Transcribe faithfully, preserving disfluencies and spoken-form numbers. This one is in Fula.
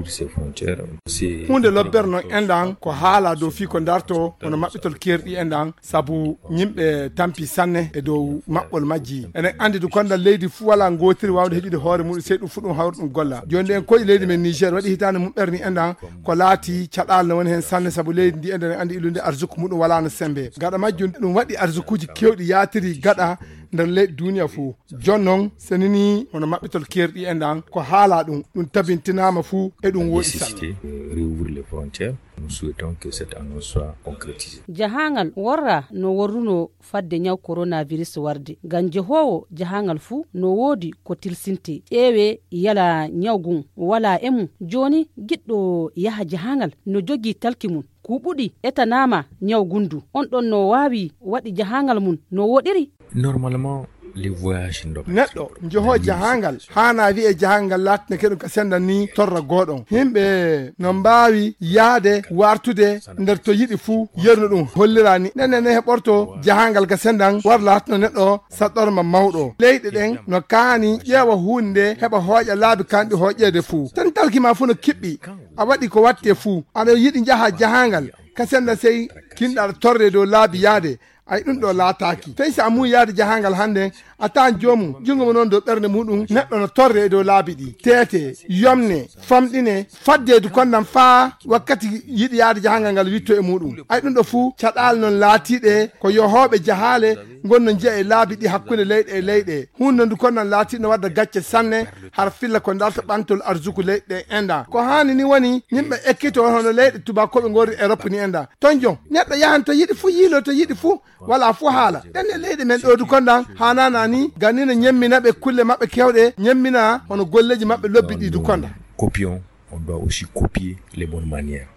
Ces frontières, c'est hunde lobbere noon enɗan ko haala dow fii ko darto hono maɓɓitol keerɗi enɗan, sabu yimɓe tampi sanne e dow maɓɓol majji. Eɗen anndi du konndal leydi fuu walaa ngootiri waawde heƴude hoore muɗum, sey ɗum fuu ɗum hawri ɗum golla. Jooni ɗen koye leydi men Niger waɗi hitaande mum ɓerni enɗan ko laati caɗaal no woni heen sanne, sabu leydi ndi enɗan anndi ilunde arsuku muɗum walaa no sembe. Gaɗa majjum ɗum waɗi arsukuuji keewɗi yaatiri gaɗa nder leyɗe duuniya fuu. Jooni noon, so nini hono maɓɓitol keerɗi enɗan ko haala ɗum, ɗum tabintinaama fuu e ɗum woɗi sanne. Nécessité de réouvrir les frontières. Nous souhaitons que cette annonce soit concrétisée. Jahangal worra no worruno fadde ñaw coronavirus warde. Ngam jehoowo jahangal fuu no woodi ko tilsinte. Ƴeewe yala ñaw gun wala e mum. Jooni giɗɗo yaha jahangal no jogii talki mum. Kuuɓuɗi etanaama ñaw gundu. On ɗon no waawi waɗi jahangal mum no woɗiri. Normalement, les voyages ndoɓe. Neɗɗo njoho jahangal haana wi'e jahangal laatina keɗum ka senda ni torra goɗon. Himɓe no mbaawi yaade wartude nder to yiɗi fuu yerno ɗum hollirani. Nene ne heɓorto jahangal ka sendan war laatino neɗɗo saɗɗorma mawɗo. Leyɗe ɗen no kaani ƴeewa huunde heɓa hooƴa laabi kanɗi hooƴeede fuu. Tan talki ma fuu no kiɓɓi. A waɗi ko watte fuu. Aɗa yiɗi njaha jahangal. Ka senda sey kinɗa aɗa torre dow laabi yaade. Ay ɗum ɗo laataaki. Tawi so a muuyi yaade jahangal hannde, a taan joomum, junngo mo noon dow ɓernde muɗum, neɗɗo no torre e dow laabi ɗi. Teete, yomne, famɗine, faddeedu konndam faa wakkati yiɗi yaade jahangal ngal witto e muɗum. Ay ɗum ɗo fuu, caɗaal noon laatiiɗe ko yohooɓe jahaale ngon no njiya e laabi ɗi hakkunde leyɗe e leyɗe. Huunde ndu konndam laatiiɗo no wadda gacce sanne, har filla ko darta ɓantol arsuku leyɗe ɗe enɗan. Ko haani ni woni, yimɓe ekkito hono leyɗe tubaakooɓe ngorri Europe ni enɗan. Ton jon, neɗɗo yahan to yiɗi fuu, yiilo to yiɗi fuu, wala fuu haala. Ɗen e leyɗe men ɗo du kondan, haanana ni, ganni no ñemmina ɓe kulle maɓɓe kewɗe, ñemmina hono golleji maɓɓe lobbi ɗi du kondan. Copions, on doit aussi copier les bonnes manières.